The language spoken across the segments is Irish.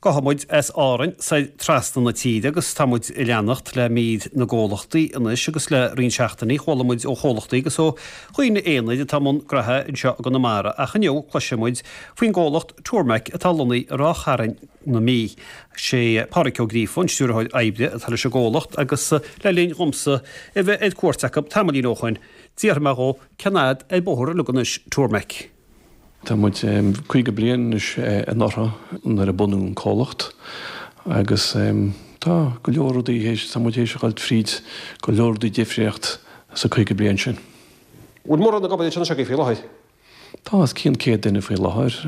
Gabhfaidh muid as Árainn soir trasna na tíre agus tá muid ag leanacht le mír na gcomhlachtaí anois agus le roinnt seachtainí chuala muid ó chomhlachtaí agus ó dhaoine aonair atá i mbun graithe anseo i gConamara ach inniu cloisfidh muid faoin gcomhlacht Turmec atá lonnaithe i Ráth Chairn na Mí. Sé Pádhraic Ó Gríofa an stiúrthóir oibre atá leis an gcomhlacht agus le linn dhomsa a bheith ar cuairt acu tamaillín ó shoin d'fhiafraigh mé dhó cén fhad ar bóthar uilig anois Turmec. Tá muid 50 bliain anois anuraidh nuair a bunú an comhlacht agus tá go leor rudaí théis, tá muid théis a dhul fríd go leor rudaí difríocht sa 50 bliain sin. Bhfuil mórán ag obair anseo anois agaibh faoi láthair? Tá os cionn 100 duine faoi láthair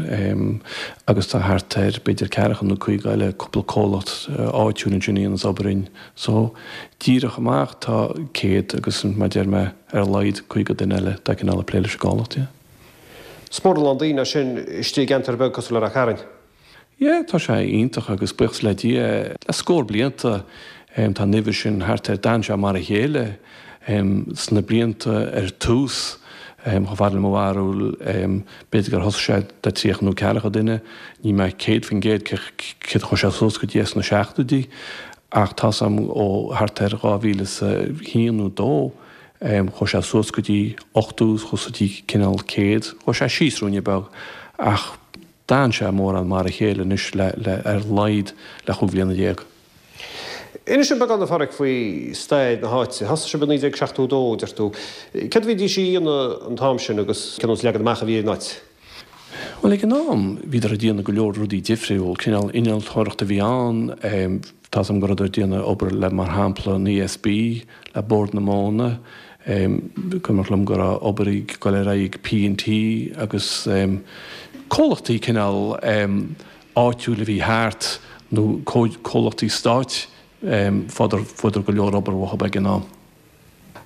agus tá thart ar b'fhéidir ceathracha nó 50 eile, cúpla comhlacht áitiúil ansin a dhéanas obair dúinn. So díreach amach tá 100 agus mar a deir mé ar a laghad 50 duine eile de chineál ag plé leis an gcomhlacht, yeah. Is mór a lán daoine é sin istigh i gceantar beag cosúil le Ráth Chairn. Yeah, tá sé iontach agus buíochas le Dia, le scór blianta tá an uimhir sin thart ar, d'fhan sé mar a chéile sna blianta ar tús, chomh fada le mo bharúil, b'fhéidir gur thosaigh sé le 30 nó ceathracha duine, níl mé 100% céard a chuaigh sé suas go dtí sna seachtóidí ach tá's a'm ó thart ar 2001 nó 2, Chuaigh sé suas go dtí 80, chuaigh sé go dtí cineál 100, chuaigh sé síos ruainne beag ach d'fhan sé mórán mar a chéile anois le, le, ar a laghad le chúig bhliana déag. Inis dom beagán a Pháraic faoi stair na háite. Thosaigh sibh i 1972, deir tú. Céard a bhídís a dhéanamh an t-am sin agus cén nós leagan amach a bhí ar an áit? Bhuel, ag an am, bhíodar ag déanamh go leor rudaí difriúil. Cineál innealtóireacht a bhí ann. Tá's a'm go rabhadar ag déanamh obair le, mar shampla, an ESB, le Bord na Móna. Cuimhneach liom go raibh obair ag dul ar aghaidh ag P&T agus comhlachtaí cineál áitiúil a bhí thart nó comhlachtaí stáit, fuaireadar go leor obair uathu ag an am.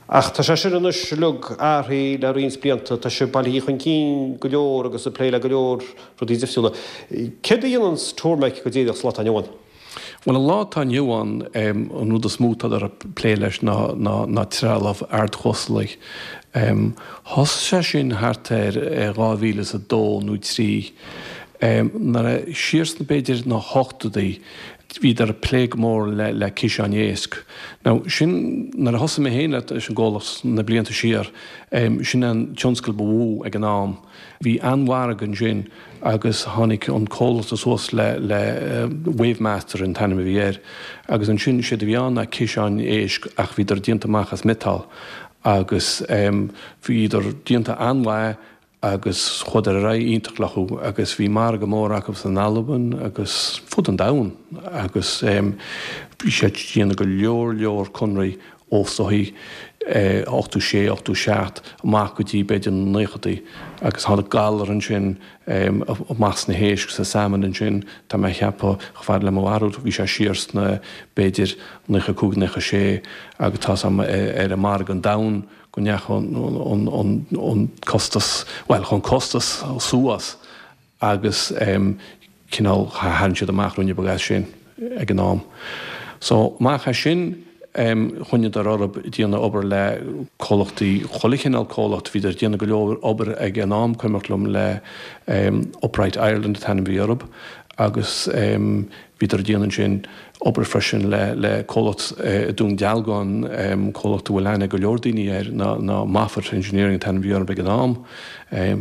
Ach tá sé sin anois uilig athraithe le roinnt blianta, tá sibh bailithe chun cinn go leor agus ag plé le go leor rudaí difriúla. Céard a dhéananns Turmec go díreach sa lá atá inniu ann? Bhuel, an lá atá inniu ann, an rud is mó atádar ag plé leis ná ná trealamh ardchuasalaigh. Thosaigh sé sin thart ar 2002 nó 3. Nuair a, siar sna b'fhéidir na hochtóidí, Bhíodar ag plé go mór le ciseáin éisc. Now, sin, nuair a thosaigh mé féin leis an gcomhlacht na blianta siar, sin an tionscal ba mhó ag an am. Bhí an-mhargadh ansin agus tháinig an comhlacht suas le, le Wavemaster an t-ainm a bhí air, agus ansin séard a bhí ann ná ciseáin éisc ach bhíodar déanta amach as miotal agus bhíodar déanta an-mhaith agus chuadar ar aghaidh iontach leothu agus bhí margadh mór acu san Albain agus fud an domhain agus bhí siad ag déanamh go leor leor conraí ó soithí 86, 87 amach go dtí b'fhéidir na naochadaí agus tháinig galar ansin amach sna héisc, sa salmon ansin, tá mé a cheapadh, chomh fada le mo bharúil, bhí sé siar sna b'fhéidir 95, 96 agus tá's a'm ar an margadh an domhain go ndeachaigh an costas, bhuel, chuaigh an costas suas agus cineál tharraing siad amach ruainne beag as sin ag an am. So, amach as sin, choinneadar orthu ag déanamh obair le comhlachtaí, chuile chineál comhlacht, bhíodar ag déanamh go leor obair ag an am, cuimhneach liom, le Upright Ireland an t-ainm a bhí orthu agus Bhíodar ag déanamh ansin obair freisin le le comhlacht i Dún Dealgán, comhlacht a bhfuil aithne ag go leor daoine air, ná ná Moffat Engineering an t-ainm a bhí orthu ag an am.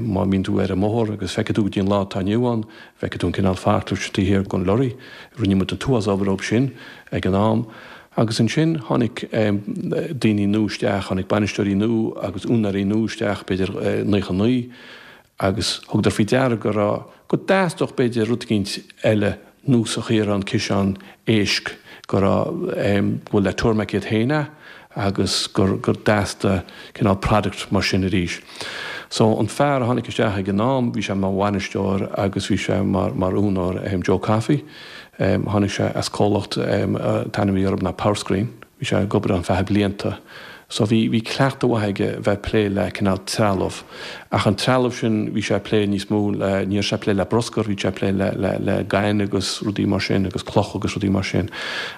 Má bhíonn tú ar an mbóthar agus feicfidh tú go dtí an lá atá inniu ann, feicfidh tú an cineál forklift taobh thiar den lorry. Rinne muid an t-uafás obair dóibh sin ag an am. Agus ansin tháinig daoine nua isteach, tháinig bainisteoirí nua agus úinéirí nua isteach, b'fhéidir 99, agus thugadar faoi deara go raibh, go dteastódh b'fhéidir rud eicínt eile núíosach ar an ciseán éisc, go raibh, go bhfuil le Turmec iad féin a agus gur, gur dteastaigh cineál product mar sin arís. So an fear a tháinig isteach ag an am, bhí sé mar bhainisteoir agus bhí sé mar, mar úinéir, Joe Coffey, tháinig sé as comhlacht, an t-ainm a bhí orthu ná Powerscreen. Bhí sé ag obair ann feadh blianta so bhí, bhí cleachtadh mhaith aige bheith ag plé le cineál trealamh. Ach an trealamh sin, bhí sé ag plé níos mó le, ní raibh sé ag plé le bruscar, bhí sé ag plé le, le, le gaineamh agus rudaí mar sin agus cloch agus rudaí mar sin.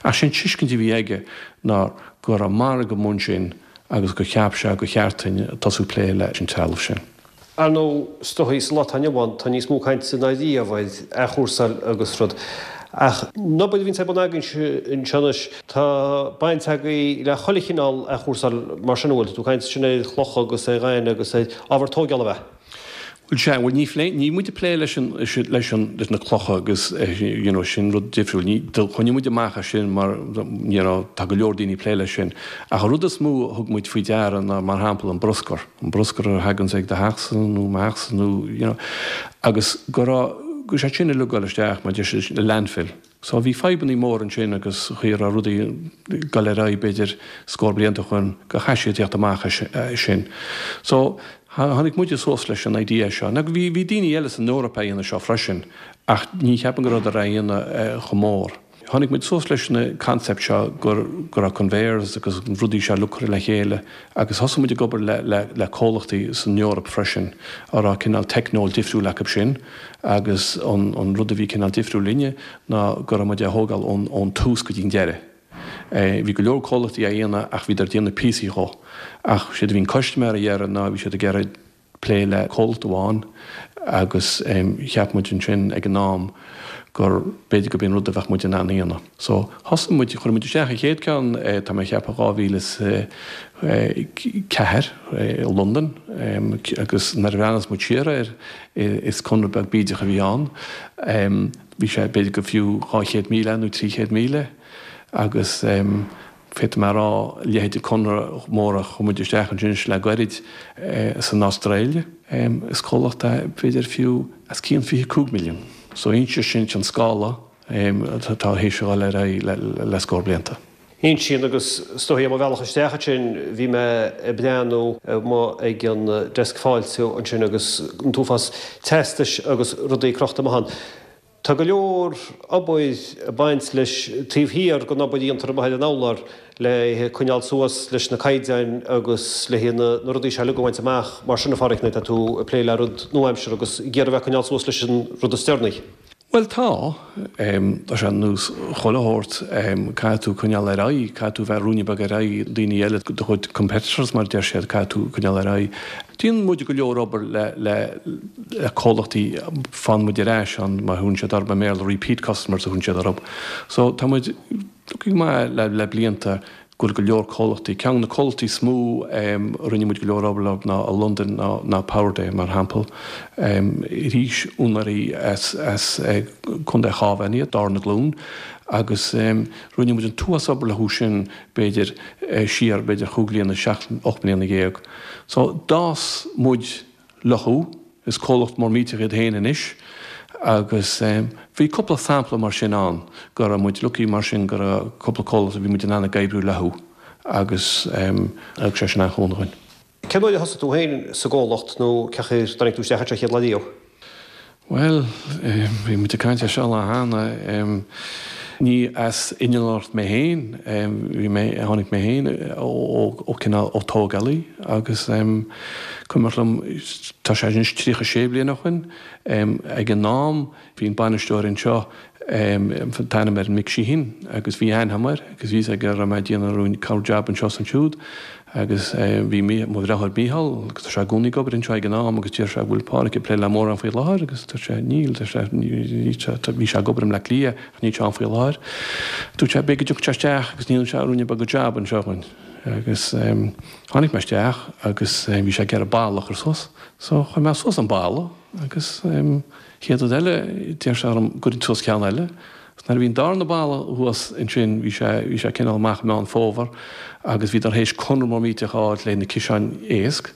Ach sé'n tuiscint a bhí aige ná go raibh margadh amuigh ansin agus gur cheap sé gur cheart duinn tosú ag plé leis an trealamh sin. Ar ndóigh, is dóigh, sa lá atá inniu ann, tá níos mó cainte ná riamh ar athchúrsáil agus rud. Ach an obair a bhíonns ar bun agaibhse anseo anois, tá baint agaibh le chuile chineál athchúrsáil mar sin, an bhfuil? Tá tú ag caint ansin ar chlocha agus ar ghaineamh agus ar ábhar tóigeála ab ea? Bhuel sea, bhuel ní phlé, níl muid ag plé leis an, leis an, leis na clocha agus you know sin rud difriúil. Ní, do choinnigh muid amach as sin mar you know tá go leor daoine ag plé leis sin. Ach an rud is mó a thug muid faoi deara ná mar shampla an bruscar, an bruscar a thaganns ag do theachsa nó mo theachsa nó you know agus go raibh, go raibh sé sin uilig ag dul isteach mar deir siad i landfill. So bhí fadhbannaí móra ansin agus chaoi a raibh rudaí ag dul ar aghaidh b'fhéidir scór blianta ó shoin go chaith siad tíocht amach as sin. So tháinig muide suas leis an idea seo. Now bhí bhí daoine eile san Eoraip á dhéanamh seo freisin ach ní cheapaim go rabhadar á dhéanamh chomh mór. Tháinig muid suas leis an concept seo gur go raibh conveyors agus rudaí seo uilig curtha le chéile agus thosaigh muid ag obair le le le comhlachtaí san Eoraip freisin a raibh cineál teicneolaíocht difriúil acu sin agus an an rud a bhí cineál difriúil linne ná go raibh muid á thógáil ón ón tús go dtí an deireadh. Bhí go leor comhlachtaí á dhéanamh ach bhíodar ag déanamh píosaí dhó. Ach séard a bhí an custaiméir a iarraidh ná bhí siad ag iarraidh plé le comhlacht amháin agus cheap muid ansin ag an am gur b'fhéidir gurb é an rud a bheadh muid in ann a dhéanamh. So thosaigh muid, chuir muid isteach an chéad ceann, tá mé ag ceapadh 2004 i Londain agus nuair a bhreathnaíos muid siar air is conradh beag bídeach a bhí ann. Bhí sé b'fhéidir go fiú 200,000 nó 300,000 agus Féadfaidh mé a rá, a leithéid de conradh mór a chuir muid isteach ansin le gairid san Astráil, is comhlacht é b'fhéidir fiú os cionn 25 milliún. So insíonn sin an scála atá tar éis a dhul ar aghaidh le scór blianta. Insíonn agus is dóigh ar mo bhealach isteach ansin bhí mé ag breathnú amuigh ag an deasc fáiltiú ansin agus an t-uafás teastais agus rudaí crochta amach ann. Tá go leor obair ag baint leis taobh thiar den obair a dhéantar amuigh ar an urlár le coinneáil suas leis na caighdeáin agus le na rudaí seo uilig a bhaint amach. Mar sin, a Pháraic, nuair atá tú ag plé le rud nua-aimseartha agus ag iarraidh a bheith ag coinneáil suas leis an rud is deireanaí. Bhuel tá. Tá sé ar nós chuile shórt, caithfidh tú coinneáil ar aghaidh, caithfidh tú bheith ruainne beag ar aghaidh daoine eile, do chuid competitors mar a deir siad, caithfidh tú coinneáil ar aghaidh. Déanann muid go leor obair le le le comhlachtaí, faigheann muid ar ais ann, mar a thugann siad orthu i mBéarla, repeat customers a thugann siad orthu. So tá muid lucky go maith le le blianta go bhfuil go leor comhlachtaí, ceann de na comhlachtaí is mó a rinne muid go leor obair leo ná i Londain ná ná Powerday mar shampla. Arís úinéirí as as Contae Chábháin iad, darna glúin, agus rinne muid an t-uafás obair leo sin b'fhéidir siar b'fhéidir chúig bliana, seacht, 18 mbliana. So d'fhás muid leothu, is comhlacht mór millteach iad féin anois agus bhí cúpla sampla mar sin ann go raibh muid lucky mar sin go raibh cúpla comhlacht a bhí muid in ann ag oibriú leothu agus thug sé sin an-chúnamh dhúinn. Cén uair a thosaigh tú féin sa gcomhlacht nó cén chaoi ar tháinig tú isteach anseo chéad lá riamh? Bhuel, bhí muid ag caint ar seo lá cheana. Ní as innealtóireacht mé féin, bhí mé, tháinig mé féin ó cineál ó tógálaí agus cuimhneach liom, tá sé anois 36 bliain ó shoin, ag an am, Bhí an bainisteoir anseo, an t-ainm air Mick Sheehan, agus bhí aithne agam air agus bhí fhios aige go raibh mé ag déanamh roinnt corr jab anseo is ansiúd agus bhí mo dheartháir Mícheál, agus tá sé i gcónaí ag obair anseo ag an am agus deir sé bhfuil Páraic ag plé le mórán faoi láthair agus dúirt sé níl, deir sé, bhí sé ag obair i mBleá Cliath ach níl sé ann faoi láthair. Dúirt sé b'fhéidir go dtiocfadh sé isteach agus ndéanfadh sé ruainne beag de jab anseo dhúinn agus tháinig mé isteach agus bhí sé ag iarraidh balla a chur suas so chuir mé suas an balla agus Chéad rud eile, deir sé orm go gcuirfinn suas ceann eile. Agus nuair a bhí an darna balla thuas ansin, bhí sé, bhí sé cineál amach i Meán Fómhair agus bhíodar théis conradh mór millteach a fháilt le na ciseáin éisc.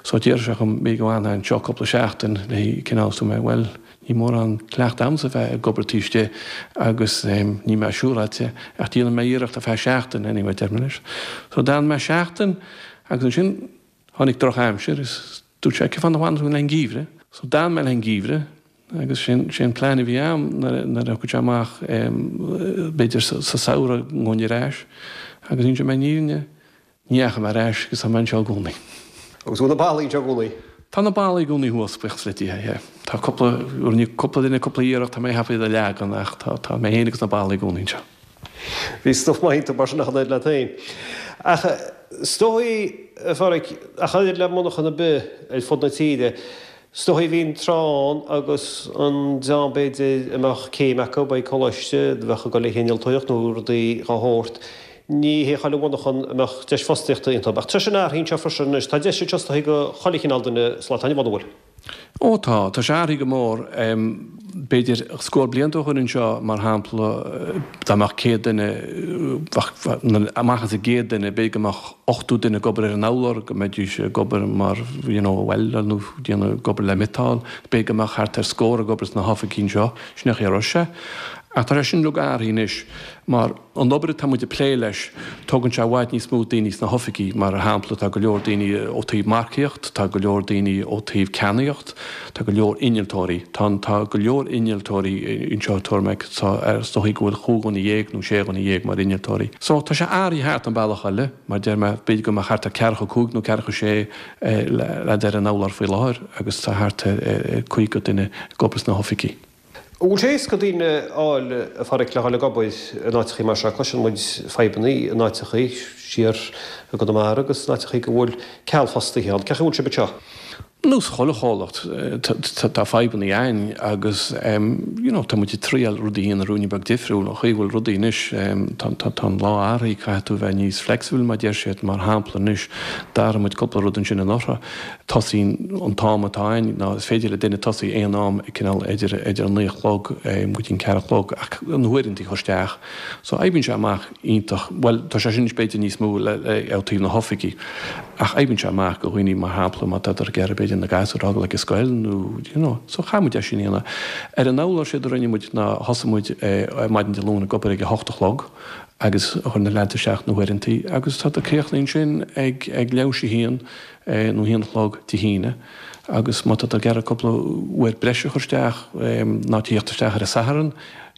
So deir sé dhom, b'fhéidir go bhfanfá anseo cúpla seachtain le cineál, dúirt mé, bhuel, níl mórán cleachtadh agamsa bheith ag obair taobh istigh agus níl mé siúráilte ach déanfaidh mé iarracht ar feadh seachtain anyway, deir mé leis. So d'fhan mé seachtain agus ansin tháinig drochaimsir is Dúirt sé, cén fáth nach bhfanann tú le an geimhreadh? So d'fhan mé le an geimhreadh agus sin sé an plean a bhí a'm nuair a thiocfadh sé amach b'fhéidir sa samhradh go ngabhfainn ar ais agus inseoidh mé an fhírinne, ní dheachaigh mé ar ais agus tá mé anseo i gcónaí. Agus bhfuil na ballaí anseo i gcónaí? Tá na ballaí i gcónaí thuas, buíochas le Dia, yeah. Tá cúpla, rinne cúpla duine cúpla iarracht, tá mé ag ceapadh iad a leagan ach tá, tá mé féin agus na ballaí i gcónaí anseo. Bhí stuif maith iontu mar sin ach an oiread leat féin. Ach is dóigh, a Pháraic, ach an oiread le monarchan ar bith ar fud na tíre. Is dóichí bhí an tráth ann agus an dream b'fhéidir a mbeadh céim acu ag coláiste, a bheadh ag dul le hinnealtóireacht nó rudaí dhá shórt, ní hé chuile mhonarchan a mbeadh deis fostaíochta iontu. Ach tá sin athraithe anseo freisin anois, tá deis anseo is dóichí do chuile chineál duine sa lá atá inniu ann, an bhfuil? Ó tá, tá sé athraithe go mór. B'fhéidir scór blianta ó shoin anseo, mar shampla, dá mbeadh 100 duine, bheadh, amach as an gcéad duine, b'fhéidir go mbeadh 80 duine ag obair ar an urlár, go mbeidís ag obair mar, you know, welder nó déanamh, ag obair le miotal, b'fhéidir go mbeadh thart ar scór ag obair sna hoifigí anseo, sin é an chaoi a raibh sé. Ach tá sé sin uilig athraithe anois mar. An obair atá muid ag plé leis, tógann sé i bhfad níos mó daoine sna hoifigí, mar shampla tá go leor daoine ó taobh marcaíocht, tá go leor daoine ó taobh ceannaíocht, tá go leor innealtóirí, tá tá go leor innealtóirí anseo i Turmec, tá is dóichí go bhfuil chúig dhuine dhéag nó sé dhuine dhéag mar innealtóirí. So tá sé athraithe thart an bealach eile, mar deir mé, b'fhéidir go mbeadh thart ar ceathracha cúig nó ceathracha sé leaid ar an urlár faoi láthair agus tá thart ar 50 duine ag obair sna hoifigí. An bhfuil sé éasca daoine a fháil, a Pháraic, le dhul ag obair in áiteachaí mar seo? Cloiseann muid fadhbannaí in áiteachaí siar i gConamara agus in áiteachaí go bhfuil ceal fostaithe ann. Cén chaoi a bhfuil sibh anseo? Nós chuile chomhlacht, tá fadhbannaí ann agus you know tá muid ag triail rudaí a dhéanamh ruainne beag difriúil. An chaoi a bhfuil rudaí anois, tá an lá athraithe, caithfidh tú a bheith níos flexible mar deir siad. Mar shampla anois, d'athraigh muid cúpla rud ansin anuraidh. Tosaíonn an t-am atá ann ná is féidir le duine tosaí aon am cineál idir idir a naoi a chlog go dtí an ceathair a chlog ach na huaireantaí a chur isteach. So oibríonn sé amach iontach, bhuel tá sé sin anois b'fhéidir níos mó le ó taobh na hoifigí ach oibríonn sé amach do dhaoine mar shampla má tádar ag iarraidh b'fhéidir na gasúir a fhágáil ag an scoil nó you know so chaith muid é sin a dhéanamh. Ar an urlár séard a rinne muid ná thosaigh muid ar maidin Dé Luain ag obair ag a hocht a chlog agus chuir na leaids isteach na huaireantaí agus tá críochnaíonn sin ag ag leathuair théis a haon nó a haon a chlog Dé hAoine agus má tá tú ag iarraidh cúpla uair breise a chur isteach ná tíocht isteach ar an Satharn,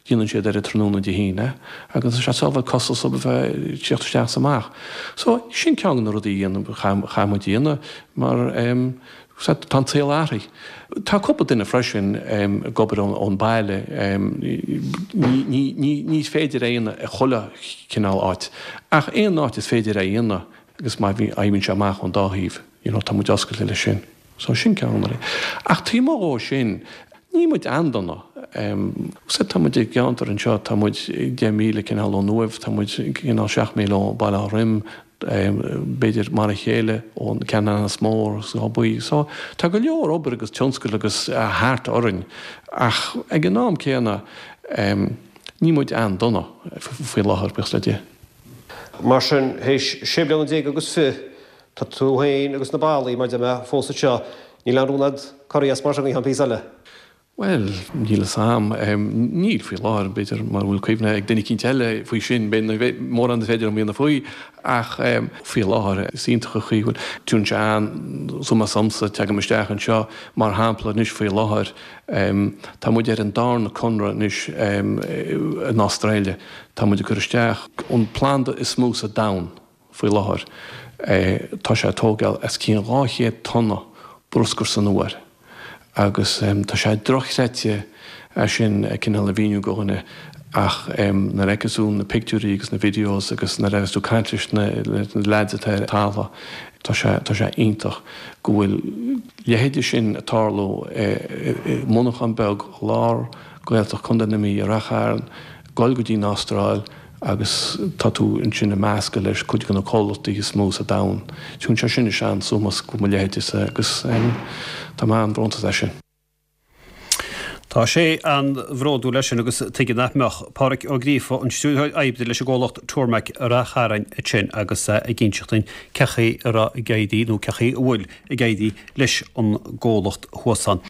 déanann siad ar an tráthnóna Dé hAoine agus tá sé sábháil costas a bheith ag tíocht isteach is amach. So sin ceann de na rudaí a dhéanamh, chaith muid a dhéanamh mar tá an saol athraithe. Tá cúpla duine freisin ag obair ón baile, ní féidir é a dhéanamh i chuile chineál áit ach aon áit is féidir é a dhéanamh Agus má bhí, oibríonn sé amach ón dá thaobh, you know, tá muid oscailte leis sin. So sin ceann de na rudaí. Ach taobh amuigh dhó sin, níl muid an-dona. Sea, tá muid i gceantar anseo, tá muid 10 míle cineál ón Uaimh, tá muid cineál 7 míle ó Baile Átha Throim, b'fhéidir mar a chéile ón Ceanannas Mór agus Áth Buí. So tá go leor obair agus tionscail agus thart orainn ach ag an am céanna, níl muid an-dona faoi láthair, buíochas le Dia. Mar sin, théis sé bliana déag agus fi, tá tú féin agus na ballaí, mar deir mé, fós anseo. Níl aon rún a'd corraí as mar sin go ceann píosa eile. Bhuel, níl fhios a'm. Níl faoi láthair, b'fhéidir mura bhfuil cuimhne ag duine eicínt eile faoi sin, b'fhéidir mórán is féidir liom a dhéanamh faoi, ach faoi láthair is iontach an chaoi a bhfuil. Tugann sé an-sómás domsa, teagaim isteach anseo, mar shampla, anois faoi láthair, tá muid ar an darna conradh anois in Astráile. Tá muid ag cur isteach an planda is mó sa domhan faoi láthair. Tá sé ag tógáil os cionn 200 tonna bruscair san uair agus tá sé dochreidte é sin cineál a mhíniú go dhuine ach nuair a fheiceas tú na pictiúirí agus na videos agus nuair a bheas tú ag caint leis na leaids atá ar an talamh tá sé tá sé iontach go bhfuil leithéide sin ag tarlú i monarchán beag i lár Gaeltacht Contae na Mí i Rath Chairn, goil go dtí an Astráil agus tá tú ansin ag meascadh leis cuid de na comhlachtaí is mó sa domhan. Tugann sé sin an-sómás go mo leithéidese agus tá mé an-bhrónta as sin. Tá sé an-bhródúil as sin agus tuige nach mbeadh. Páraic Ó Gríofa, an Stiúrthóir Oibre leis an gcomhlacht Turmec i Rath Chairn ansin agus é ag inseacht dúinn cé chaoi a raibh ag éirí nó cé chaoi a bhfuil ag éirí leis an gcomhlacht thuas ann.